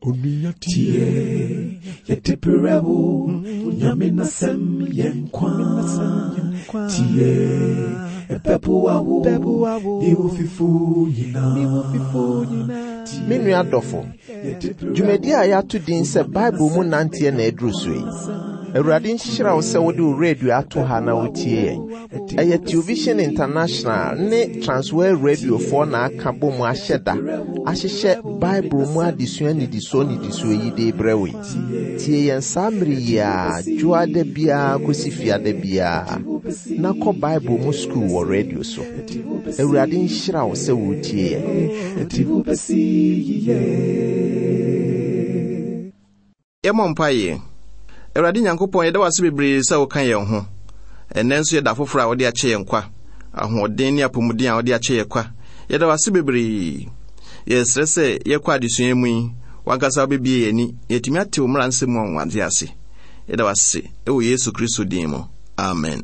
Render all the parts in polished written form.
Tie, yɛde berɛ wo, Nyame n'asɛm yɛ nkwa. Tie, ɛbɛboa wo, ne wo fifo nyinaa. Me nua dɔfo, dwumadi a yɛato din sɛ Bible mu nanteɛ na aduru so yi. Awurade nhyira wo sɛ wode wo radio ato ha na wotie yɛn. Ɛyɛ Television International ne Transworld Radiofoɔ na aka bɔ mu ahyɛ da ahyehyɛ Bible mu adesua nnidisoɔ nnidisoɔ yi de rebrɛ wo yi. Tie yɛn saa mmere yi ara, dwoada biara kɔsi fiada biara, na kɔ Bible mu sukuu wɔ radio so. Awurade nhyira wo sɛ woretie yɛn. Yɛmmɔ mpaeɛ. Awurade Nyankopɔn, yɛda wo ase bebree sɛ woka yɛn ho. Ɛnnɛ nso yɛ da foforɔ a wode akyɛ yɛn kwa. Ahoɔden ne apɔmuden a wode akyɛ yɛn kwa. Yɛda wo ase bebree. Yɛsrɛ sɛ yɛkɔ adesua mu yi, w'ankasa wobɛbie yɛn ani na yɛatumi ate wo mmara nsɛm mu anwanwadeɛ ase. Yɛda wo ase wɔ Yesu Kristo din mu. Amen.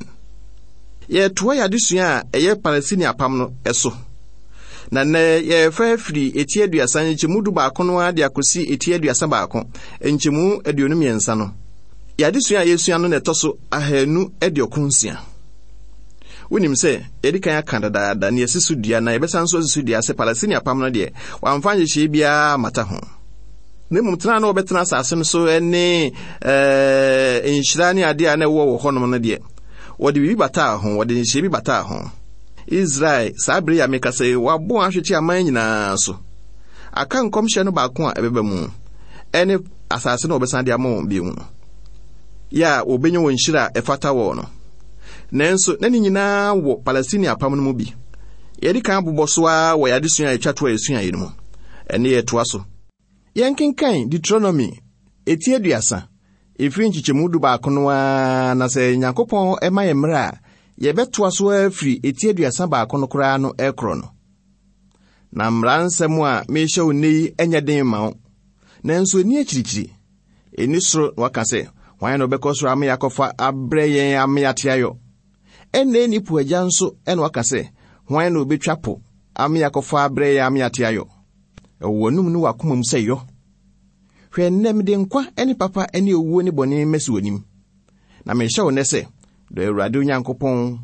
Yɛretoa yɛn adesua a ɛyɛ Palestine apam no so. Na nnɛ yɛrefa afiri eti aduasa nkyɛmu du baako no ara de akɔsi eti aduasa baako nkyɛmu aduonu mmiɛnsa no. Yɛn adesua a yɛresua no na ɛtɔ so ahanu aduokron nsia. Wonim sɛ yɛde kan aka dadaada na yɛasi so dua na yɛbɛsan nso asi so dua sɛ Palestine apam no deɛ wɔamfa nhyehyɛe biara ammata ho. Na mmom tena a na wɔbɛtena asase no so ne ɛɛ nhyira ne adeɛ a na ɛwɔ wɔ hɔnom no deɛ wɔde biribi bataa ho, wɔde nhyehyɛe bi bataa ho. Israel, saa bere yi a mekasa yi, wɔabɔ wɔn ahwete aman nyinaa so. Aka nkɔmhyɛ no baako a ɛbɛba mu, ɛne asase no a wɔbɛsan de ama wɔn bio no, yɛ a wɔbɛnya wɔn nhyira a ɛfata wɔn no. Nanso, na ne nyinaa wɔ Palestine apam no mu bi. Yɛde kan abobɔ so ara wɔ yɛn adesua a ɛtwa to a yɛsuaeɛ no mu. Ɛne yɛtoa so. Yɛnkenkan Deuteronomy eti aduasa, ɛfiri nkyekyɛmu dubaako no ara, na sɛ Nyankopɔn ma yɛn mmerɛ a, yɛbɛtoa so ara firi eti aduasa baako no koraa no rekorɔ no. Na mmara nsɛm a merehyɛ wo nnɛ yi nyɛ den mma wo, nanso ɛnni akyirikyiri, ɛnni soro na waka sɛ, Hwan na ɔbɛkɔ soro ama yɛakɔfa abrɛ yɛn ama yɛate ayɔ? Ɛnna ɛnni po agya nso na waka sɛ, Hwan na ɔbɛtwa po ama yɛakɔfa abrɛ yɛn ama yɛate ayɔ? Ɛwɔ w'anom ne w'akoma mu sɛ yɔ. Hwɛ nnɛ mede nkwa ne papa ne owuo ne bɔne masi w'anim. Na mehyɛ wo nnɛ sɛ, dɔ Awurade wo Nyankopɔn,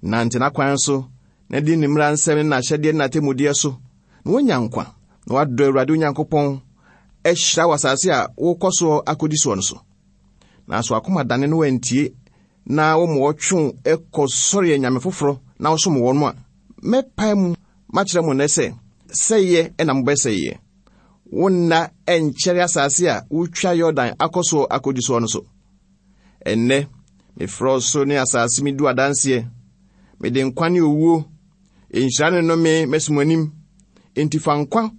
nante n'akwan so, na di ne mmara nsɛm ne n'ahyɛdeɛ ne n'atemmudeɛ so, na woanya nkwa, na woadɔ Awurade wo Nyankopɔn, ahyira wɔ asase a wokɔ soɔ akɔdi soɔ no so. Nanso akoma dane no wantie, na wɔma wɔtwe wo kɔ sɔre anyame foforɔ na wosom wɔn a, mɛpae mu makyerɛ mo nnɛ sɛ, sɛeɛ na mobɛsɛeɛ. Wo nna ɛnkyɛre asase a wotwa Yordan akɔ soɔ akɔdi soɔ no so. Ɛnnɛ, mefrɛ ɔsoro ne asase medi adanseɛ. Mede nkwa ne owuo, nhyira ne nnome masi mo anim. Enti fa nkwa,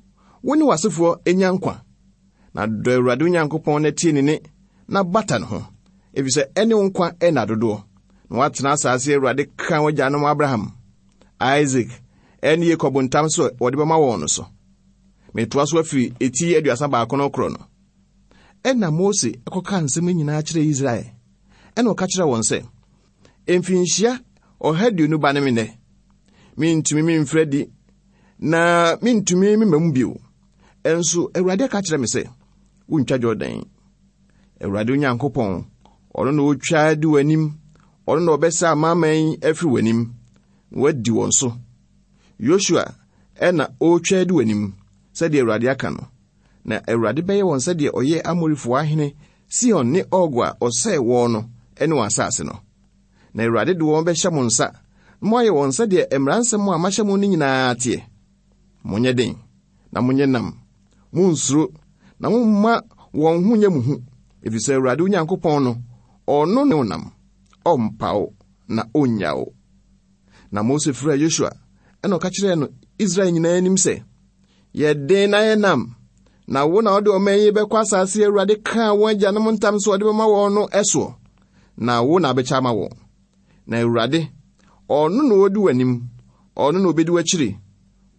wo ne w'asefoɔ nya nkwa. Na dɔ Awurade wo Nyankopɔn na tie ne nne na bata ne ho, efisɛ ɛne wo nkwa nna dodoɔ, na woatena asase a Awurade kaa w'agyanom Abraham, Isak, ne Yakob ntam sɛ wɔde bɛma wɔn no so. Metoa so afiri eti aduasa baako no korɔ no. Ɛnna Mose kɔkaa nsɛm nyinaa kyerɛɛ Israel. Ɛnna ɔka kyerɛɛ wɔn sɛ, Mfinhyia ɔha aduonu ba ne me nnɛ. Mentumi memfiri adi, na mentumi memma mu bio. Nso Awurade aka kyerɛ me sɛ, Wontwa Yordan yi. Awurade Onyankopɔn, ɔno na ɔtwa di w'anim, ɔno na ɔbɛsa amanaman yi afiri w'anim, na woadi wɔn so. Yosua na ɔretwa adi w'anim, sɛdeɛ Awurade aka no. Na Awurade bɛyɛ wɔn sɛdeɛ ɔyɛɛ Amorifoɔ ahene Sihon ne Og a ɔsɛee wɔn no ne wɔn asase no. Na Awurade de wɔn bɛhyɛ mo nsa, na moayɛ wɔn sɛdeɛ mmara nsɛm a mahyɛ mo no nyinaa teɛ. Monyɛ den, na monyɛ nam. Munnsuro, na momma wɔn ho nyɛ mo hu, efisɛ Awurade wo Nyankopɔn no, ɔno ne wo nam. Ɔmpa wo, na onnya wo. Na Mose frɛɛ Yosua, ɛna ɔka kyerɛɛ no Israel nyinaa anim sɛ, Yɛ den na yɛ nam, na wo na wode ɔman yi bɛkɔ asase a Awurade kaa wɔn agyanom ntam sɛ ɔde bɛma wɔn no soɔ, na wo na abɛkyɛ ama wɔn. Na Awurade, ɔno na odi w'anim, ɔno na obedi w'akyiri,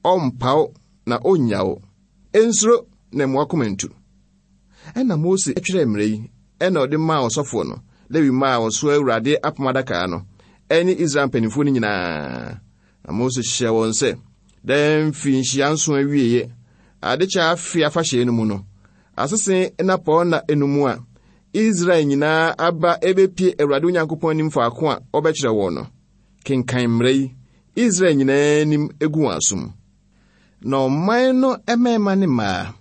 ɔmpa wo na onnya wo. Nsuro na mma w'akoma ntu. Ɛnna Mose twerɛɛ mmara yi, ɛnna ɔde maa ɔsɔfoɔ no, Lewi mma a wɔsoa Awurade apam adaka no, ɛne Israel mpanimfoɔ no nyinaa. Na Mose hyɛɛ wɔn sɛ, Daa mfirinhyia nson awieeɛ, adekyɛ afe afahyɛ no mu no, Asese nnapɔnna enum a Israel nyinaa aba ebepie Awurade Onyankopɔn anim faako a ɔbɛkyerɛ wɔn no, kenkan mmara yi Israel nyinaa anim gu wɔn asom. Na ɔman no mmarima ne mmaa,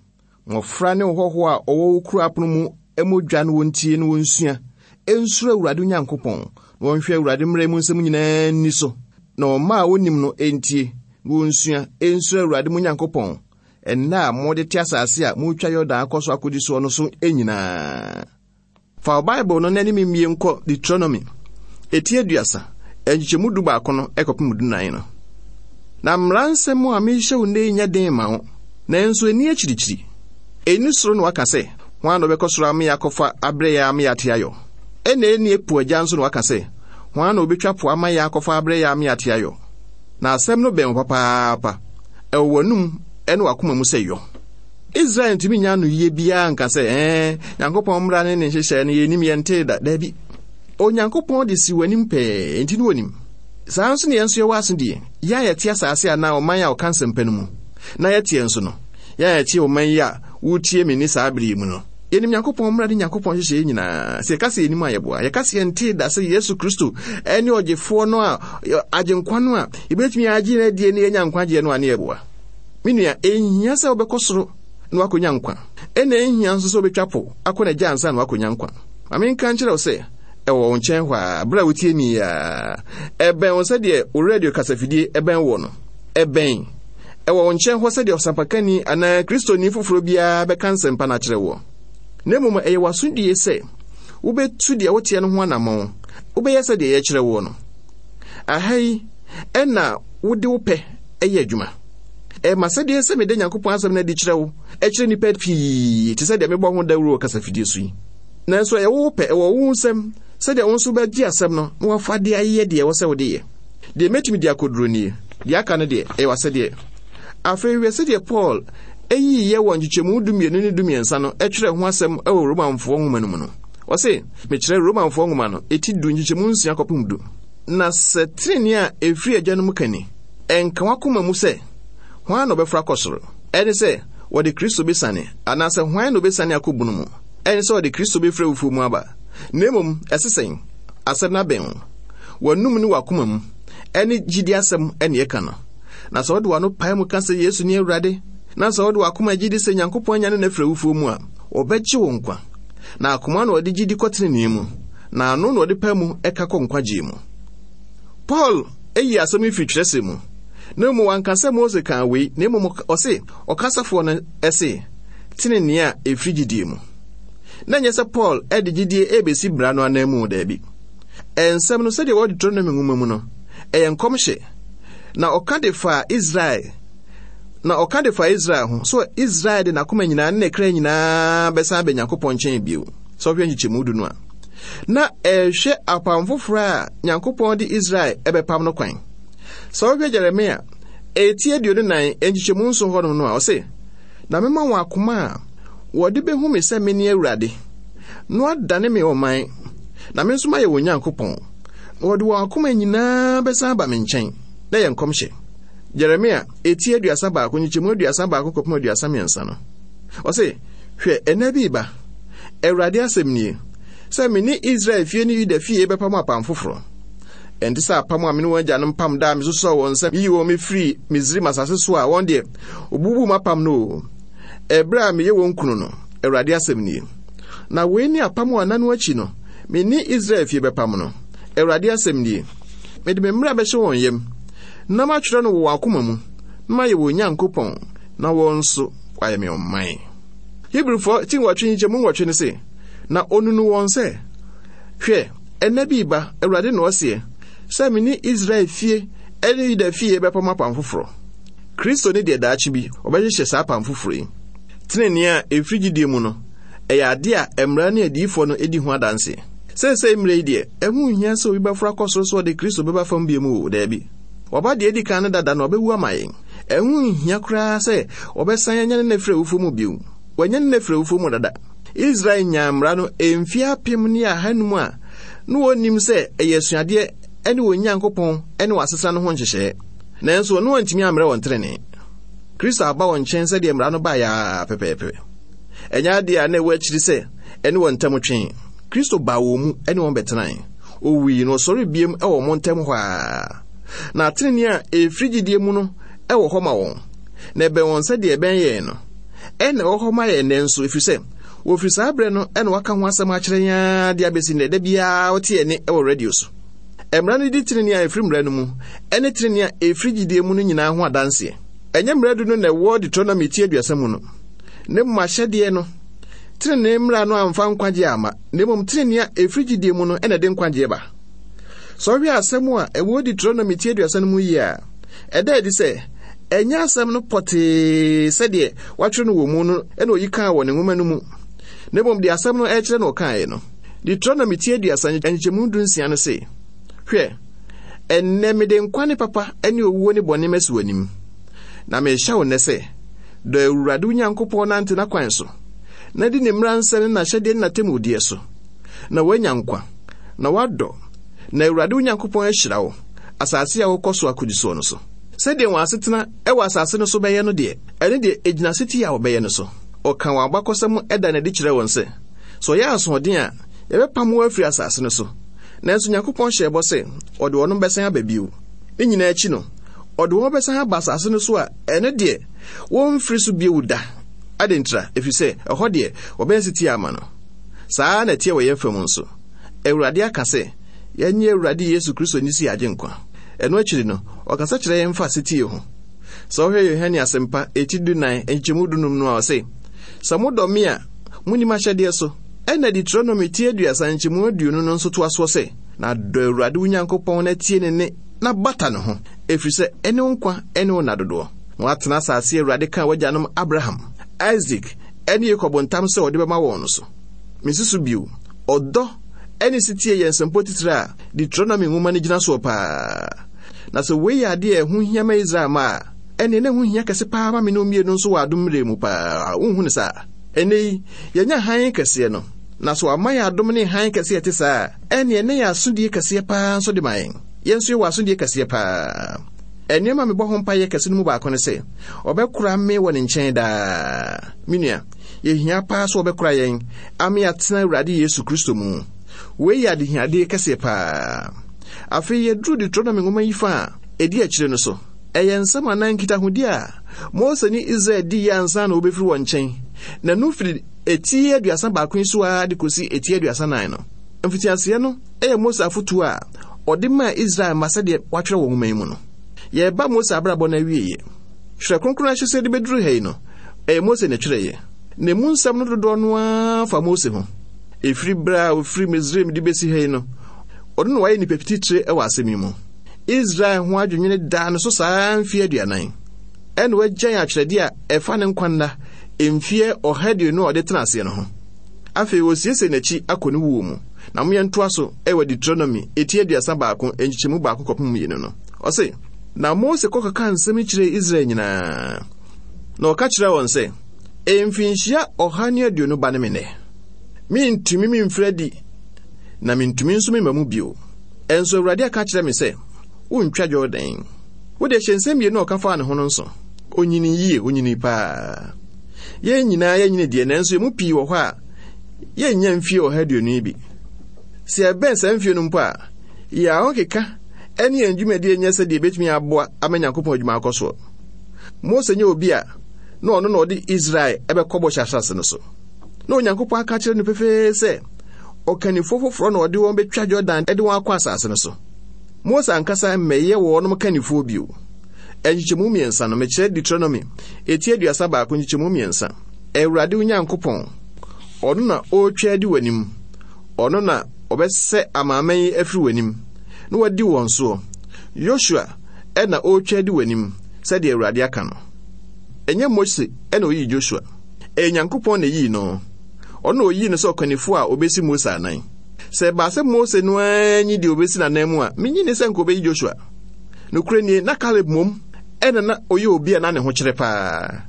mmɔfra ne ɔhɔhoɔ a ɔwɔ wo kuro apono mu mmɔ dwa na wɔntie na wɔnsua, nsuro Awurade Onyankopɔn, na wɔnhwɛ Awurade mmara mu nsɛm nyinaa nni so, na ɔma a wɔnnim no ntie na wɔnsua, nsuro Awurade mo Nyankopɔn, nna a mode te asase a moretwa Yordan akɔ so akɔdi soɔ no so nyinaa. Fa wo Bible no na ne me mmie nkɔ Deuteronomy, eti 30, nkyekyɛmu 11 no kɔpem 14 no. Na mmara nsɛm a merehyɛ wo nnɛ yi nyɛ den ma wo, nanso ɛnni akyirikyiri. Ɛnni soro na waka sɛ, Hwan na ɔbɛkɔ soro ama yɛakɔfa abrɛ yɛn ama yɛate ayɔ? Ɛnna ɛnni po agya nso na waka sɛ, Hwan na ɔbɛtwa po ama yɛakɔfa abrɛ yɛn ama yɛate ayɔ? Na asɛm no bɛn wo papaapa, ɛwɔ w'anom ne w'akoma mu sɛ yɔ. Israel ntumi nya anoyie biara nka sɛ, ɛɛ, Nyankopɔn mmara ne ne nhyehyɛe no yɛnnim, yɛntee da. Daabi. Onyankopɔn de si w'anim pɛɛ, enti no wɔnim. Saa nso ne yɛn nso yɛwɔ asodie, yɛn a yɛte asase anaa ɔman a ɔka nsɛmpa no mu, na yɛteɛ nso no, yɛn a yɛte ɔman yi a woretie me nne saa bere yi mu no. Yɛnim Nyankopɔn mmara ne Nyankopɔn nhyehyɛeɛ nyinaa. Sɛ yɛka sɛ yɛnim a yɛboa. Yɛka sɛ yɛntee da sɛ Yesu Kristo ne ɔgyefoɔ no a, agyenkwa no a, yɛbɛtumi agye no adie ne yɛanya nkwagyeɛ no a ne yɛboa. Me nua, ɛnhia sɛ wobɛkɔ soro na woakɔnya nkwa. Ɛna ɛnhia nso sɛ wobɛtwa po akɔ n'agya ansa na woakɔnya nkwa. Ma menka nkyerɛ wo sɛ, ɛwɔ wo nkyɛn hɔ ara, berɛ a wotie me yi ara. Ɛbɛn wo sɛdeɛ wo radio kasafidie ɛbɛn woɔ no. Ɛbɛn. Ɛwɔ wo nkyɛn hɔ sɛdeɛ ɔsampakani anaa Kristoni foforɔ biara bɛka nsɛmpa no akyerɛ woɔ. Na mmom ɛyɛ w'asodie sɛ wobɛtu deɛ woteɛ no ho anammɔn, wobɛyɛ sɛdeɛ yɛkyerɛ woɔ no. Aha yi ɛna wode wo pɛ yɛ adwuma. Ɛyɛ m'asɛdeɛ sɛ meda Nyankopɔn asɛm no adi kyerɛ wo, kyerɛ nnipa pii, te sɛ deɛ mebɔ ho dawuro wɔ kasafidie so yi. Nanso ɛyɛ wo pɛ, ɛwɔ wo nsam, sɛdeɛ wo nso wobɛgye asɛm no na woafa de ayɛ deɛ ɛwɔ sɛ wode yɛ. Deɛ mɛtumi de akɔduro nie, deɛ aka no deɛ, ɛyɛ w'asɛdeɛ. Afei hwɛ sɛdeɛ Paul yiiɛ wɔ nkyekyɛmu 12 ne 13 no twerɛ ho asɛm wɔ Romanfoɔ nwoma no mu no. Ɔse, mekyerɛ Romanfoɔ nwoma no, eti du nkyekyɛmu 6 kɔpem du. Na sɛ tenenee a ɛfiri agyanom ka ni, Ɛnka w'akoma mu sɛ, Hwan na ɔbɛforo akɔ soro? Ɛne sɛ, wɔde Kristo besiane, anaasɛ hwan na obesiane akɔ bunu mu? Ɛne sɛ ɔde Kristo befiri awufoɔ mu aba. Na mmom, ɛse sɛn? Asɛm no abɛn wo, w'anom ne w'akoma mu, ɛne gyidi asɛm ne ɛka no. Na sɛ wode w'ano pae mu ka sɛ Yesu ne Awurade, na sɛ wode w'akoma gye di sɛ Nyankopɔn anyane no afiri awufoɔ mu a, wɔbɛgye wo nkwa. Na akoma na wɔde gye di kɔ tenenee mu, na ano na wɔde pae mu ka kɔ nkwagyeɛ mu. Paul yii asɛm yi firi twerɛsɛm mu, na mmom wanka sɛ Mose kaa wei, na mmom ɔse ɔkasafoɔ no se, tenenee a ɛfiri gyidie mu. Na ɛnyɛ sɛ Paul de gyidie rebɛsi mmara no ananmu, daabi. Nsɛm no sɛdeɛ ɛwɔ Deuteronomy nwoma mu no, ɛyɛ nkɔmhyɛ. Na ɔka de faa Israel, na ɔka de faa Israel ho, so Israel de n'akoma nyinaa ne ne kra nyinaa bɛsan aba Nyankopɔn nkyɛn bio. Sɛ ɔhwɛ nkyekyɛmu du no a, na ɛrehwɛ apam foforɔ a Nyankopɔn de Israel ɛbɛpam no kwan. Sɛ wohwɛ Jeremia eti 24 nkyekyɛmu 7 hɔnom no a, ɔse, Na mema wɔn akoma a wɔde behu me sɛ mene Awurade, na wɔadane me ɔman, na me nso mayɛ wɔn Nyankopɔn, na wɔde wɔn akoma nyinaa bɛsan aba me nkyɛn. Na ɛyɛ nkɔmhyɛ. Jeremia eti 31 nkyekyɛmu 31 kɔpem 33 no, ɔse, Hwɛ, ɛnna bi reba, Awurade asɛm nie, sɛ me ne Israel fie ne Yuda fie bɛpam apam foforɔ. Ɛnte sɛ apam a me ne wɔn agyanom pam da a mesosɔɔ wɔn nsa yii wɔn mefirii Misraim asase so a wɔn deɛ wɔbubuu m'apam no o, ɛberɛ a meyɛ wɔn kunu no, Awurade asɛm nie. Na wei ne apam a nna no akyi no, me ne Israel fie bɛpam no, Awurade asɛm nie. Mede me mmara bɛhyɛ wɔn yam, na matwerɛ no wɔ wɔn akoma mu, na mayɛ wɔn Nyankopɔn, na wɔn nso wɔayɛ me ɔman. Hebrifoɔ ti nwɔtwe nkyekyɛmu nwɔtwe no se, Na onunu wɔn sɛ, Hwɛ, ɛnna bi reba, Awurade na ɔseɛ, sɛ me ne Israel fie ne Yuda fie bɛpam apam foforɔ. Kristo ne deɛ daakye bi ɔbɛhyehyɛ saa apam foforɔ yi. Tenenee a ɛfiri gyidie mu no, ɛyɛ adeɛ a mmara ne adiyifoɔ no di ho adanseɛ. Seesei mmerɛ yi deɛ, ɛho nhia sɛ obi bɛforo akɔ soro sɛ ɔde Kristo bɛba fam bio mu o, daabi. Waba deɛ adi kan no dada na ɔbɛwu ama yɛn. Ɛho nhia koraa sɛ wɔbɛsan anyane no afiri awufoɔ mu bio. Wɔanyane no afiri awufoɔ mu dada. Israel nyaa mmara no mfeɛ 1500 a na wɔnnim sɛ ɛyɛ asuadeɛ ne wɔn Nyankopɔn ne wɔn asetena no ho nhyehyɛeɛ. Nanso ɔno antumi ammrɛ wɔn trenee. Kristo aba wɔn nkyɛn sɛdeɛ mmara no baeɛ ara pɛpɛɛpɛ. Ɛnyɛ adeɛ a na ɛwɔ akyiri sɛ ɛne wɔn ntam twe. Kristo baa wɔn mu ne wɔn bɛtenae. Owui na ɔsɔre biem wɔ wɔn ntam hɔ ara. Na tenenee a ɛfiri gyidie mu no wɔ hɔ ma wɔn, na ɛbɛn wɔn sɛdeɛ ɛbɛn yɛn no. Ɛna ɛwɔ hɔ ma yɛn nnɛ nso, ɛfiri sɛ wɔfiri saa berɛ no na wɔaka ho asɛm akyerɛ yɛn ara de abɛsi nnɛ, da biara wote yɛn nne wɔ radio so. Mmara no di tenenee a ɛfiri mmara no mu ne tenenee a ɛfiri gyidie mu no nyinaa ho adanseɛ. Ɛnyɛ mmara du no na ɛwɔ Deuteronomy ti 30 mu no, na mmom ahyɛdeɛ no. Tenenee mmara no amfa nkwagyeɛ amma, na mmom tenenee a ɛfiri gyidie mu no na ɛde nkwagyeɛ ba. Sɛ wohwɛ asɛm a ɛwɔ Deuteronomy ti 30 no mu yie a, ɛda adi sɛ ɛnyɛ asɛm no pɔtee sɛdeɛ wɔatwerɛ no wɔ mu no na oyi kaa wɔ ne nwoma no mu, na mmom deɛ asɛm no ɛrekyerɛ na ɔkaeɛ no. Deuteronomy ti 30 nkyekyɛmu 16 no se, Hwɛ, ɛnnɛ mede nkwa ne papa ne owuo ne bɔne masi w'anim. Na merehyɛ wo nnɛ sɛ, dɔ Awurade wo Nyankopɔn nante n'akwan so, na di ne mmara nsɛm ne n'ahyɛdeɛ ne n'atemmudeɛ so, na woanya nkwa, na woadɔ, na Awurade wo Nyankopɔn ahyira wo, asase a wokɔ so akodi soɔ no so. Sɛdeɛ wɔn asetena wɔ asase no so bɛyɛ no deɛ, ɛno deɛ ɛgyina setie a wɔbɛyɛ no so. Ɔka wɔn abakɔsɛm da no adi kyerɛ wɔn sɛ, sɛ wɔyɛ asoɔden a, yɛbɛpam wɔn afiri asase no so. Nanso Nyankopɔn hyɛɛ bɔ sɛ ɔde wɔn bɛsan aba bio. Ne nyinaa akyi no, ɔde wɔn bɛsan aba asase no so a ɛno deɛ wɔmfiri so bio da. Adɛn ntira? Ɛfiri sɛ ɛhɔ deɛ wɔbɛyɛ setie ama no. Saa ara na ɛteɛ wɔ yɛn fam nso. Awurade aka sɛ yɛnnye Awurade Yesu Kristo nni sɛ yɛn Agyenkwa. Ɛno akyiri no, ɔkasa kyerɛ yɛn fa setie ho. Sɛ wohwɛ Yohane Asɛmpa, eti 14, nkyekyɛmu 15 no a, ɔse, Sɛ modɔ me a, munni m'ahyɛdeɛ so. Ɛnna Deuteronomy ti 30 nkyɛmu 20 no nso toa soɔ sɛ, Na dɔ Awurade wo Nyankopɔn na tie ne nne na bata ne ho, ɛfiri sɛ ɛne wo nkwa ne wo nna dodoɔ, na woatena asase a Awurade kaa w'agyanom Abraham, Isak ne Yakob ntam sɛ ɔde bɛma wɔn no so. Mesi so bio, ɔdɔ ne setie yɛ nsɛmpɔ titire a Deuteronomy nwoma no gyina soɔ paa. Na sɛ wei yɛ adeɛ a ɛho hia ma Israel mma a, ɛnneɛ na ɛho hia kɛse paa ma me ne wo mmienu nso wɔ adom mmerɛ mu paa. Wonhu no saa? Ɛnnɛ yi, yɛanya hann kɛseɛ no, na sɛ wɔama yɛn adom ne hann kɛseɛ a ɛte saa a, ɛnneɛ na ɛyɛ asodie kɛseɛ paa nso de ma yɛn. Yɛn nso yɛwɔ asodie kɛseɛ paa. Nneɛma a mebɔ ho mpaeɛ kɛse no mu baako ne sɛ, ɔbɛkora me wɔ ne nkyɛn daa. Me nua, yɛhia paa sɛ ɔbɛkora yɛn ama yɛatena Awurade Yesu Kristo mu. Wei yɛ adehiadeɛ kɛseɛ paa. Afei yɛduru Deuteronomy nwoma yi fa a ɛdi akyire no so. Ɛyɛ nsɛm anaa nkitahodi a Mose ne Israel diiɛ ansa na wɔbɛfiri wɔn nkyɛn, na ɛno firi eti 31 yi so ara de kɔsi eti 34 no. Mfitiaseɛ no yɛ Mose afotuo a ɔde maa Israel mma sɛdeɛ wɔatwerɛ wɔ nwoma yi mu no. Yɛreba Mose abrabɔ no awieeɛ. Twerɛ Kronkron ahyɛseɛ de bɛduru ha yi no, ɛyɛ Mose na ɛtwerɛeɛ, na emu nsɛm no dodoɔ no ara fa Mose ho. Ɛfiri berɛ a ɔfiri Misraim de bɛsi ha yi no, ɔno na wayɛ nipa titire wɔ asɛm yi mu. Israel ho adwennwene daa no so saa mfeɛ 40. Ɛna wagyan atwerɛdeɛ a ɛfa ne nkwa nna mfeɛ 120 a ɔde tena aseɛ no ho. Afei ɔresiesie n'akyi akɔ ne wuo mu. Na mo yɛntoa so wɔ Deuteronomy eti 31 nkyekyɛmu 1 kɔpem 2 no. Ɔse, Na Mose kɔ kɔkaa nsɛm yi kyerɛɛ Israel nyinaa. Na ɔka kyerɛɛ wɔn sɛ, Mfinhyia 120 ba ne me nnɛ. Mentumi memfiri adi, na mentumi nso memma mu bio. Ɛnso Awurade aka akyerɛ me sɛ, Wontwa Yordan. Wo deɛ hyɛ nsɛm mmienu a ɔka faa ne ho no nso. Onyinii yie, onyinii paa. Yɛn nyinaa yɛnyini deɛ, nanso yɛn mu pii wɔ hɔ a, yɛnnya mfie 120 yi bi. Sɛ yɛbɛn saa mfie no mpo a, yɛn ahokeka ne yɛn dwumadie nyɛ sɛdeɛ ɛbɛtumi aboa ama Nyankopɔn adwuma akɔ soɔ. Mose nyɛ obi a na ɔno na ɔde Israel ɛbɛkɔ bɔhyɛ asase no so. Na Onyankopɔn aka akyerɛ no pefee sɛ ɔkannifoɔ foforɔ na ɔde wɔn bɛtwa Jordan de wɔn akɔ asase no so. Mose ankasa mmɛyɛ wɔnom kannifoɔ bio. Nkyekyɛmu mmiɛnsa no, mekyerɛ Deuteronomy, eti 31 nkyekyɛmu mmiɛnsa. Awurade wo Nyankopɔn, ɔno na ɔretwa adi w'anim, ɔno na ɔbɛsɛ amanaman yi afiri w'anim, na wadi wɔn soɔ. Yosua na ɔretwa adi w'anim, sɛdeɛ Awurade aka no. Ɛnyɛ Mose na ɔyii Joshua. Ɛyɛ Nyankopɔn na ɛyii no. Ɔno na ɔyii no sɛ ɔkannifoɔ a ɔbɛsi Mose anan. Sɛ ɛbaa sɛ Mose no ara nyi deɛ ɔbɛsi n'anan mu a, mennye nni sɛ nka ɔbɛyi Joshua. Nokorɛ nie, na Kaleb mmom na na ɔyɛ obi a na ne ho kyerɛ paa.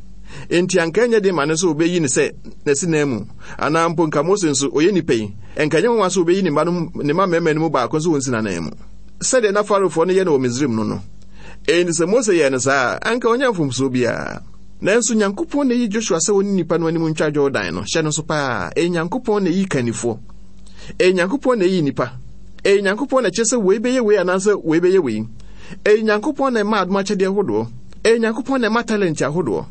Enti anka ɛnyɛ den ma no sɛ ɔbɛyi no sɛ n'asinan mu, anaa mpo nka Mose nso, ɔyɛ nipa yi, nka ɛnyɛ nwanwa sɛ ɔbɛyi ne mma no ne mma mmarima no mu baako nso wɔnsi n'anan mu. Sɛdeɛ na Faraofoɔ no yɛ no wɔ Misraim no no. Enti sɛ Mose yɛɛ no saa a, anka ɔnyɛ mfomsoɔ biara. Nanso Nyankopɔn na eyi Joshua sɛ ɔne nnipa no anim ntwa Jordan no. Hyɛ no nso paa. Ɛyɛ Nyankopɔn na eyi kannifoɔ. Ɛyɛ Nyankopɔn na eyi nnipa. Ɛyɛ Nyankopɔn na ɛkyerɛ sɛ wei bɛyɛ wei anaasɛ wei bɛyɛ wei. Ɛyɛ Nyankopɔn na ɛma adom akyɛdeɛ ahodoɔ. Ɛyɛ Nyankopɔn na ɛma talent ahodoɔ.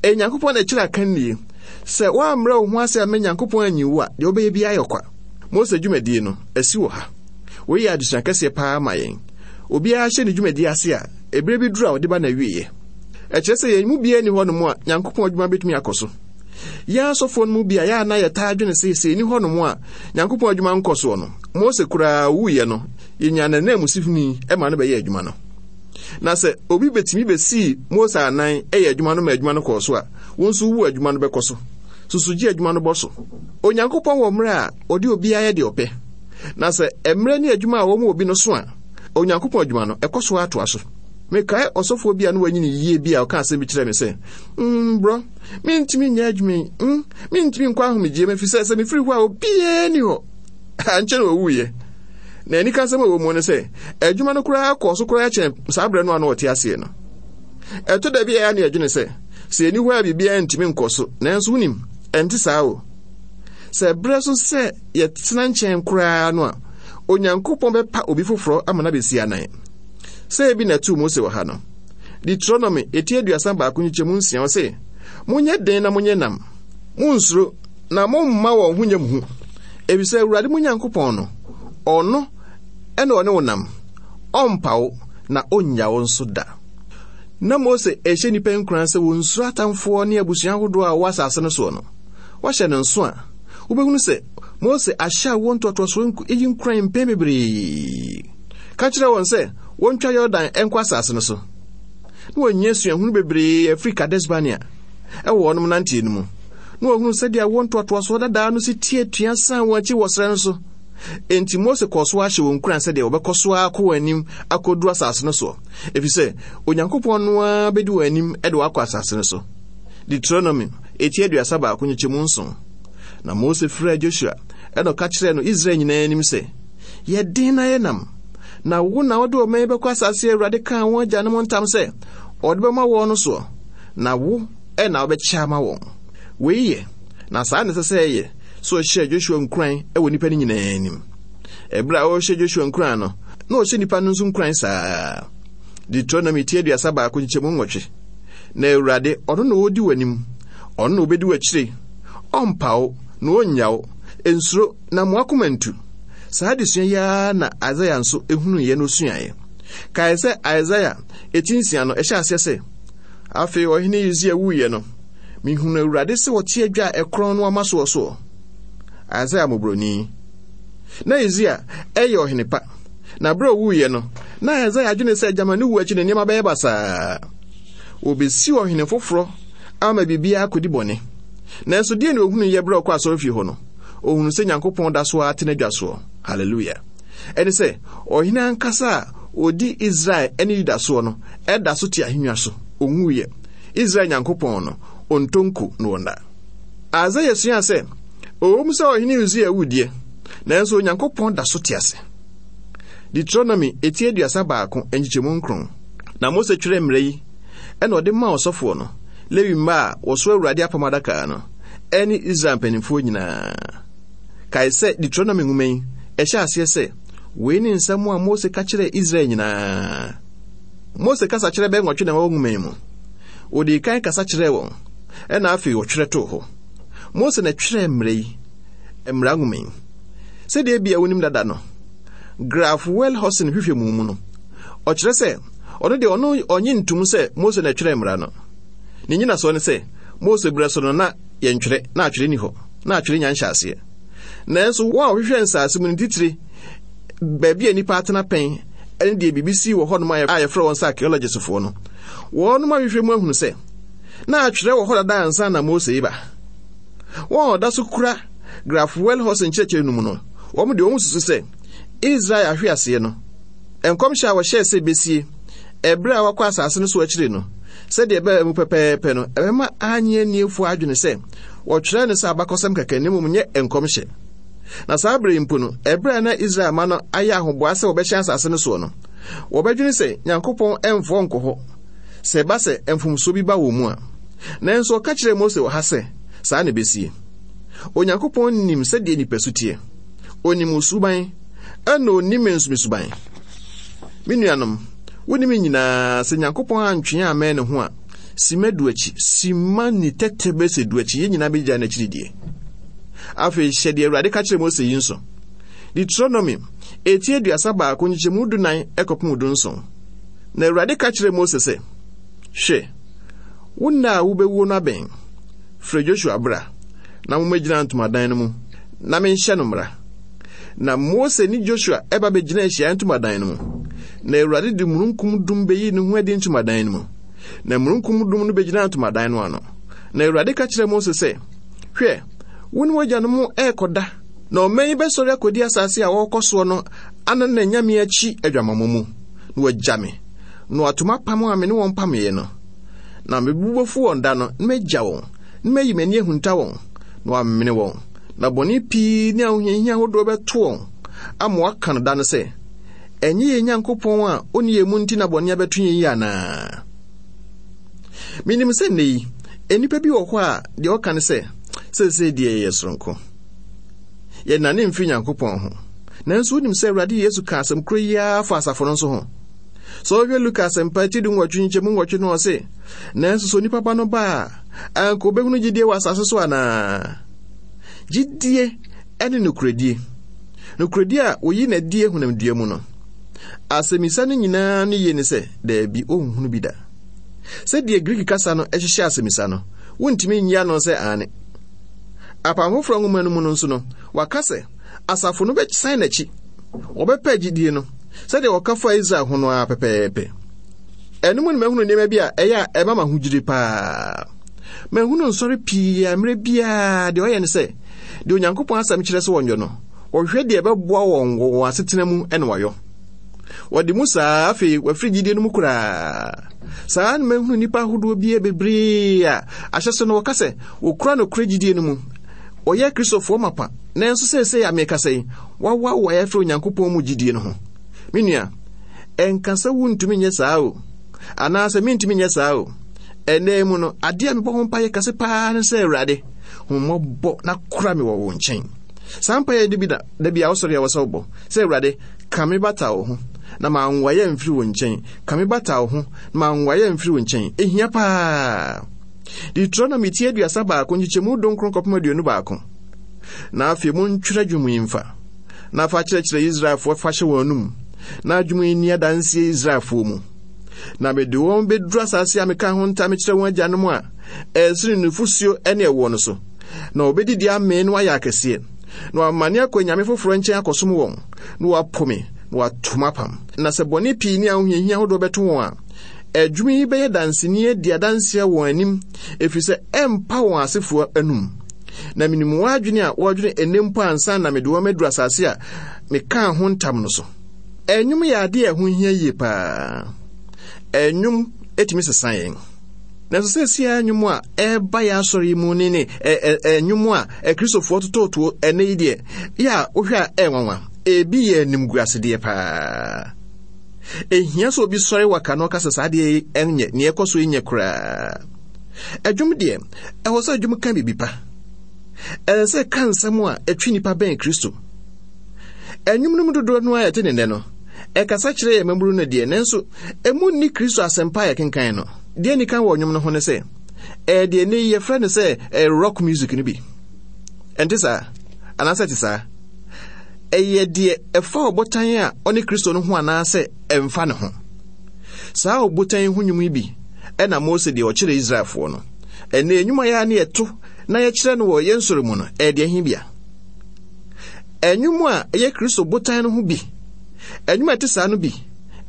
Ɛyɛ Nyankopɔn na ɛkyerɛ akannie. Sɛ woammrɛ wo ho ase amma Nyankopɔn anyi wo a, deɛ wobɛyɛ biara yɛ ɔkwa. Mose dwumadie no, asi wɔ ha. Wei yɛ adesua kɛseɛ paa ma yɛn. Obiara hyɛ ne dwumadie ase a, ɛberɛ bi duru a ɔde ba n'awieɛ. Ɛkyerɛ sɛ yɛn mu biara nni hɔnom a Nyankopɔn adwuma bɛtumi akɔ so. Yɛn asɔfoɔ no mu bi a yɛ a na yɛtaa dwene sɛ sɛ ɛni hɔnom a Nyankopɔn adwuma nkɔ soɔ no, Mose koraa wuiɛ no, yɛnyaa n'ananmusini ma no bɛyɛɛ adwuma no. Na sɛ obi bɛtumi bɛsii Mose anan yɛ adwuma no ma adwuma no kɔɔ so a, wo nso wu adwuma no bɛkɔ so. Susu gye adwuma no bɔ so. Onyankopɔn wɔ mmerɛ a ɔde obiara yɛ deɛ ɔpɛ. Na sɛ mmerɛ ne adwuma a wɔma obi no so a, Onyankopɔn adwuma no, ɛkɔ so ara toa so. Mekae ɔsɔfoɔ bi a na wanyini yie bi a ɔka asɛm bi kyerɛɛ me sɛ, mm, brɔ, mentumi nyɛ adwuma yi, mm, mentumi nkɔ ahomegyeɛ mu ɛfiri sɛ sɛ mefiri hɔ a obiara ni hɔ. Ankyɛ na ɔwuiɛ. Na anikasɛm a ɛwɔ mu ne sɛ, adwuma no koraa kɔɔ so koraa kyɛn saa berɛ no a na ɔte aseɛ no. Ɛtɔ da bi a ɛyɛ a na yɛdwene sɛ, sɛ yɛni hɔ a biribiara ntumi nkɔ so, nanso wonim, ɛnte saa o. Sɛ berɛ so sɛ yɛtena nkyɛn koraa no a, Onyankopɔn bɛpa obi foforɔ ama no abɛsi anan. Sɛ ebi na ɛtoo Mose wɔ ha no. Deuteronomy eti 31 nkyekyɛmu 6 ɔse, Monyɛ den na monyɛ nam, monnsuro na momma wɔn ho nyɛ mo hu, efisɛ Awurade mo Nyankopɔn no, ɔno na ɔne wo nam, ɔmpa wo na onnya wo nso da. Na Mose rehyɛ nnipa nkuran sɛ wɔnsuro atamfoɔ ne abusua ahodoɔ a wɔwɔ asase no soɔ no. Woahyɛ no nso a, wobɛhunu sɛ Mose ahyɛ awoɔ ntoatoasoɔ yi nkuran mpɛn bebree. Ka kyerɛ wɔn sɛ wɔntwa Yordan nkɔ asase no so. Na wɔanya suahunu bebree afiri Kades-Barnea wɔ wɔnom nanteɛ no mu. Na wɔhunu sɛdeɛ awoɔ ntoatoasoɔ dadaa no si te atua san wɔn akyi wɔ serɛ no so. Enti Mose kɔɔ so ara hyɛ wɔn nkuran sɛdeɛ wɔbɛkɔ so ara akɔ wɔn anim akɔduru asase no soɔ, ɛfiri sɛ Onyankopɔn no ara bɛdi wɔn anim de wɔn akɔ asase no so. Deuteronomy, eti 31 nkyekyɛmu 7. Na Mose frɛɛ Joshua, ɛna ɔka kyerɛɛ no Israel nyinaa anim sɛ, Yɛ den na yɛ nam, na wo na wode ɔman yi bɛkɔ asase a Awurade kaa wɔn agyanom ntam sɛ ɔde bɛma wɔn no soɔ, na wo na wobɛkyɛ ama wɔn. Wei yɛ, na saa na ɛsɛ sɛ ɛyɛ, sɛ ɔhyɛɛ Joshua nkuran wɔ nnipa no nyinaa anim. Ɛberɛ a ɔrehyɛ Joshua nkuran no, na ɔhyɛ nnipa no nso nkuran saa. Deuteronomy ti 31 nkyekyɛmu 8. Na Awurade, ɔno na ɔredi w'anim, ɔno na ɔbɛdi w'akyire, ɔmpa wo, na ɔnnya wo. Nsuro, na mo akoma ntu. Saa adesua yi ara na Isaia nso hunuiɛ na ɔsuaeɛ. Kae sɛ Isaia eti nsia no, ɛhyɛ aseɛ sɛ, Afei ɔhene Usia wuiɛ no, mehunuu Awurade sɛ ɔte adwa a ɛkorɔn no ama soɔ soɔ. Isaia mmɔborɔni. Na Usia yɛ ɔhene pa, na berɛ a ɔwuiɛ no, na Isaia adwene sɛ gyama ne wuo akyi no nneɛma bɛyɛ basaa. Wɔbɛsi ɔhene foforɔ ama biribiara akɔdi bɔne. Nanso deɛ na ɔhunuiɛ berɛ a ɔkɔ asɔrefie hɔ no? Ɔhunuu sɛ Nyankopɔn da so ara te n'adwa soɔ. Hallelujah. Ɛne sɛ, ɔhene ankasa a ɔdi Israel ne Yuda soɔ no da so te ahennwa so. Ɔnwuiɛ. Israel Nyankopɔn no, ɔntɔ nko na ɔnna. Isaia suaa sɛ, ɛwom sɛ ɔhene Usia awu deɛ, nanso Onyankopɔn da so te ase. Deuteronomy eti 31 nkyekyɛmu 9. Na Mose twerɛɛ mmara yi, ɛna ɔde maa ɔsɔfoɔ no, Lewi mma a wɔso Awurade apam adaka no, ɛne Israel mpanimfoɔ nyinaa. Kae sɛ Deuteronomy nwoma yi, ɛhyɛ aseɛ sɛ, Wei ne nsɛm a Mose ka kyerɛɛ Israel nyinaa. Mose kasa kyerɛ bɛyɛ nwɔtwe na ɛwɔ nwoma yi mu. Ɔdii kan kasa kyerɛɛ wɔn, ɛna afei ɔtwerɛ too hɔ. Mose na ɛtwerɛɛ mmara yi, mmara nwoma yi. Sɛdeɛ ebia wonim dada no, Graf Wellhausen hwehwɛ mu mu no, ɔkyerɛ sɛ ɔno deɛ ɔno ɔnye ntom sɛ Mose na ɛtwerɛɛ mmara no. Ne nyinasoɔ ne sɛ, Mose berɛ so no na yɛntwerɛ, na atwerɛ ni hɔ, na atwerɛ nya nhyɛaseɛ. Nanso wɔn a wɔhwehwɛ nsaase mu no titire, baabi a nnipa atena pɛn ne deɛ biribi sii wɔ hɔnom a yɛfrɛ wɔn sɛ archaeologists-foɔ no, wɔnom ahwehwɛ mu ahunu sɛ na atwerɛ wɔ hɔ dada ansa na Mose reba. Wɔn a wɔda so kura Graf Wellhausen nkyerɛkyerɛ no mu no, wɔn deɛ wɔn susu sɛ Israel ahweaseɛ no, nkɔmhyɛ a wɔhyɛɛ sɛ besie ɛberɛ a wɔakɔ asase no so akyire no, sɛdeɛ ɛbaa mu pɛpɛɛpɛ no, ɛbɛma annye anniefoɔ adwene sɛ wɔtwerɛɛ no sɛ abakɔsɛm kɛkɛ na mmom nyɛ nkɔmhyɛ. Na saa berɛ yi mpo no, ɛberɛ a na Israel mma no ayɛ ahoboa sɛ wɔbɛhyɛn asase no soɔ no, wɔbɛdwene sɛ Nyankopɔn mfoɔ nkɔ hɔ sɛ ɛba sɛ mfomsoɔ bi ba wɔn mu a. Nanso ɔka kyerɛɛ Mose wɔ ha sɛ, saa na ɛbɛsie. Onyankopɔn nim sɛdeɛ nipasu teɛ. Onim wo suban, ɛna onim me nso me suban. Me nuanom, wonim nyinaa sɛ Nyankopɔn antwe yɛn ammɛn ne ho a, sima du akyi, sima ni tɛtɛ bɛsɛ du akyi, yɛn nyinaa bɛgyae n'akyiri die. Afei hyɛ deɛ Awurade ka kyerɛ Mose yi nso. Deuteronomy, eti 31 nkyekyɛmu 14 kɔpem 17. Na Awurade ka kyerɛɛ Mose sɛ, Hwɛ, wo nna a wobɛwuo no abɛn. Frɛ Joshua bra, na mommɛgyina ntomadan no mu, na menhyɛ no mmara. Na Mose ne Joshua ba bɛgyinaa ahyiaeɛ ntomadan no mu. Na Awurade de mununkum dum bɛyii ne ho adi ntomadan no mu. Na mununkum dum no bɛgyinaa ntomadan no ano. Na Awurade ka kyerɛɛ Mose sɛ, Hwɛ, wo ne w'agyanom rekɔda, na ɔman yi bɛsɔre akɔdi asase a wɔrekɔ soɔ no anan anyame akyi adwamammɔ mu, na wɔagya me, na wɔato m'apam a me ne wɔn pameeɛ no. Na me bo bɛfu wɔn da no, na magya wɔn, na mayi m'ani ahunta wɔn, na wɔamene wɔn. Na bɔne pii ne ahohiahia ahodoɔ bɛto wɔn ama wɔaka no da no sɛ, Ɛnyɛ yɛn Nyankopɔn a ɔnni yɛn mu nti na bɔne abɛto yɛn yi anaa? Menim sɛ nnɛ yi, nnipa bi wɔ hɔ a deɛ wɔka ne sɛ, seesei deɛ yɛyɛ soronko. Yɛnnane mfiri Nyankopɔn ho. Nanso wonim sɛ Awurade Yesu ka asɛm koro yi ara fa asafo no nso ho. Sɛ wohwɛ Luka asɛmpa ti 18 nkyɛmu 8 no ɔse, Nanso sɛ onipa ba no ba a, anka obɛhunu gyidie wɔ asase so anaa? Gyidie ne nokorɛdie. Nokorɛdie a wɔyi no adie honamdua mu no. Asɛmmisa no nyinaa no yie ne sɛ, daabi, ɔnhunu bi da. Sɛdeɛ Greek kasa no hyehyɛ asɛmmisa no, wontumi nyi ano sɛ aane. Apam Foforɔ nwoma no mu no nso no, wɔaka sɛ asafo no bɛsan n'akyi, wɔbɛpɛ gyidie no, sɛdeɛ wɔka faa Israel ho no ara pɛpɛɛpɛ. Ɛno mu no mahunu nneɛma bi a ɛyɛ a ɛma m'ahodwiri paa. Mahunu nsɔre pii a mmerɛ biara deɛ ɔyɛ ne sɛ, deɛ Onyankopɔn asɛm kyerɛ sɛ wɔnyɔ no, wɔhwehwɛ deɛ ɛbɛboa wɔn wɔ wɔn asetena mu na wɔayɔ. Wɔde mu saa afei wɔafiri gyidie no mu koraa. Saa na mahunu nnipa ahodoɔ bi bebree a ahyɛse no wɔka sɛ wɔkura nokorɛ gyidie no mu. Wɔyɛ Kristofoɔ mapa, nanso seesei a merekasa yi, wɔawoawoa afiri Onyankopɔn mu gyidie no ho. Me nua, ɛnka sɛ wontumi nyɛ saa o, anaasɛ mentumi nyɛ saa o. Ɛnnɛ mu no, adeɛ a mebɔ ho mpaeɛ kɛse paa ne sɛ, Awurade, hu mmɔbɔ na kora me wɔ wo nkyɛn. Saa mpaeɛ no bi na da bi a wosɔre a wɔ sɛ wobɔ sɛ, Awurade, ka me bata wo ho na manwaeɛ amfiri wo nkyɛn. Ka me bata wo ho na manwaeɛ amfiri wo nkyɛn. Ɛhia paa. Deuteronomy ti 31 nkyekyɛmu 19 kɔpem 21. Na afei montwerɛ dwom yi mfa, na fa kyerɛkyerɛ Israelfoɔ fa hyɛ wɔn anum, na dwom yi nni adanseɛ Israelfoɔ mu. Na mede wɔn bɛduru asase a mekaa ho ntam kyerɛ wɔn agyanom a ɛresene nufosuo ne ɛwoɔ no so, na wɔbɛdidi amee na wɔayɛ akɛseɛ, na wɔamane akɔ anyame foforɔ nkyɛn akɔsom wɔn, na wɔapo me, na wɔato m'apam. Na sɛ bɔne pii ne ahohiahia ahodoɔ bɛto wɔn a, ɛdwom yi bɛyɛ danseni adi adanseɛ wɔn anim, ɛfiri sɛ ɛmpa wɔn asefoɔ anum. Na menim wɔn adwene a wɔredwene ɛnnɛ mpo ansa na mede wɔn aduru asase a mekaa ho ntam no so. Ɛnwom yɛ adeɛ a ɛho hia yie paa. Ɛnwom tumi sesa yɛn. Nanso seesei ara nnwom a ɛreba yɛn asɔre yi mu ne ne nnwom a Akristofoɔ tototoɔ ɛnɛ yi deɛ, yɛ a wohwɛ a ɛyɛ nwanwa. Ebi yɛ animguasedeɛ paa. Ehia sɛ obi sɔre waka na ɔka sɛ saa adeɛ yi nyɛ, nea ɛkɔ so yi nyɛ koraa. Ɛdwom deɛ, ɛwɔ sɛ ɛdwom ka biribi pa. Ɛsɛ sɛ ɛka nsɛm a ɛtwe nnipa bɛn Kristo. Ɛnwom no mu dodoɔ no a yɛte ne nnɛ no, ɛkasa kyerɛ yɛn mmabunu no deɛ, nanso emu nni Kristo asɛmpa a yɛkenkan no. Deɛ nni kan wɔ nnwom no ho ne sɛ, ɛyɛ deɛ nnɛ yi yɛfrɛ no sɛ ɛyɛ rock music no bi. Ɛnte saa? Anaasɛ ɛte saa? Ɛyɛ deɛ ɛfa ɔbotan a ɔne Kristo no ho anaasɛ ɛmfa ne ho. Saa ɔbotan yi ho nnwom yi bi ɛna Mose deɛ ɔkyerɛ Israelfoɔ no. Ɛnna nnwuma yɛ a ne yɛto na yɛkyerɛ no wɔ yɛn sɔre mu no, ɛyɛ deɛ he bia. Nnwom a ɛyɛ Kristo botan no ho bi. Nnwom a ɛte saa no bi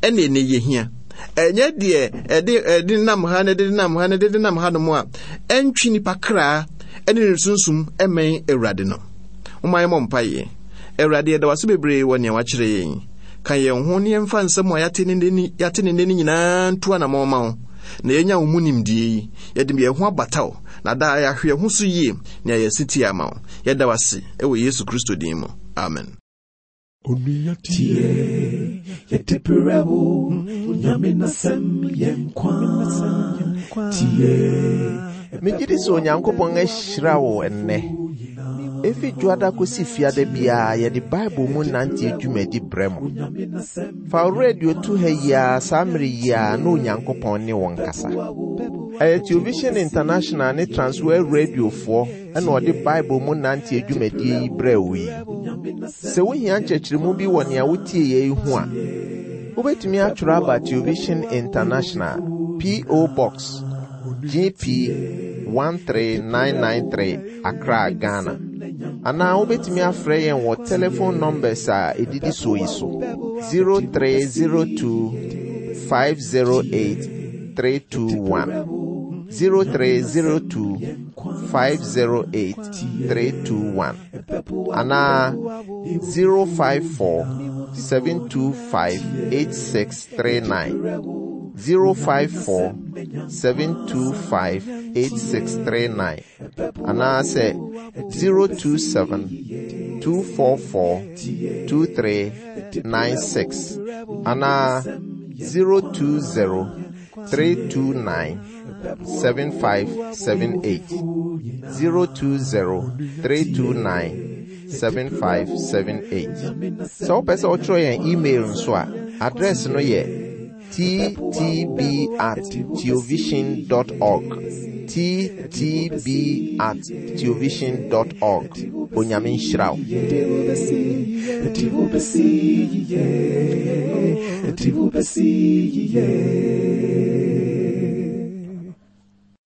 ɛna ɛnɛ yɛhia. Ɛnyɛ deɛ ɛde ɛde nam ha na ɛde nam ha na ɛde nam ha nom a ɛntwe nipa kra ɛne ne sunsum ɛmɛn Awurade no. Momma yɛmmɔ mpaeɛ. Awurade yɛda wase bebree wɔ nea wakyerɛ yɛn. Ka yɛn ho ne yɛmfa nsɛm a yɛate ne nnɛ yɛate ne nnɛ no nyinaa ntu anammɔn ma wo na yɛnya wo mu nimdeɛ yi. Yɛde yɛn ho abata wo na daa yɛahwɛ yɛn ho so yie na yɛayɛ setie ama wo. Yɛda wo ase wɔ Yesu Kristo din mu. Amen. Onua tie, yɛde brɛ wo, Onyame n'asɛm yɛ nkwa. Tie. Megye di sɛ Onyankopɔn ahyira wo ɛnnɛ. Efi dwoada kosi fiada biara yɛde Bible mu nante dwumadi brɛ mo. Fa wo radio to ha yi ara saa mmere yi ara na Onyankopɔn ne wo nkasa. Ɛyɛ Television International ne Transworld Radiofoɔ ɛna ɔde Bible mu nante dwumadie yi brɛ wo yi. Sɛ wohia nkyerɛkyerɛmu bi wɔ nea wotie yɛ yi ho a, wobɛtumi atwerɛ aba Television International, P.O. Box, GP 13993, Accra, Ghana. Anaa wobɛtumi afrɛ yɛn wɔ telephone numbers a ɛdidi soɔ yi so 0302 508 321 0302 508 321 anaa 054 725 8639 054 725 8639 anaasɛ 027 244 2396 anaa 020 329 7578 020 329 7578 Sɛ wopɛ sɛ wotwerɛ yɛn email nso a, address no yɛ ttb at theovision dot org ttb at theovision dot org Onyame nhyira wo.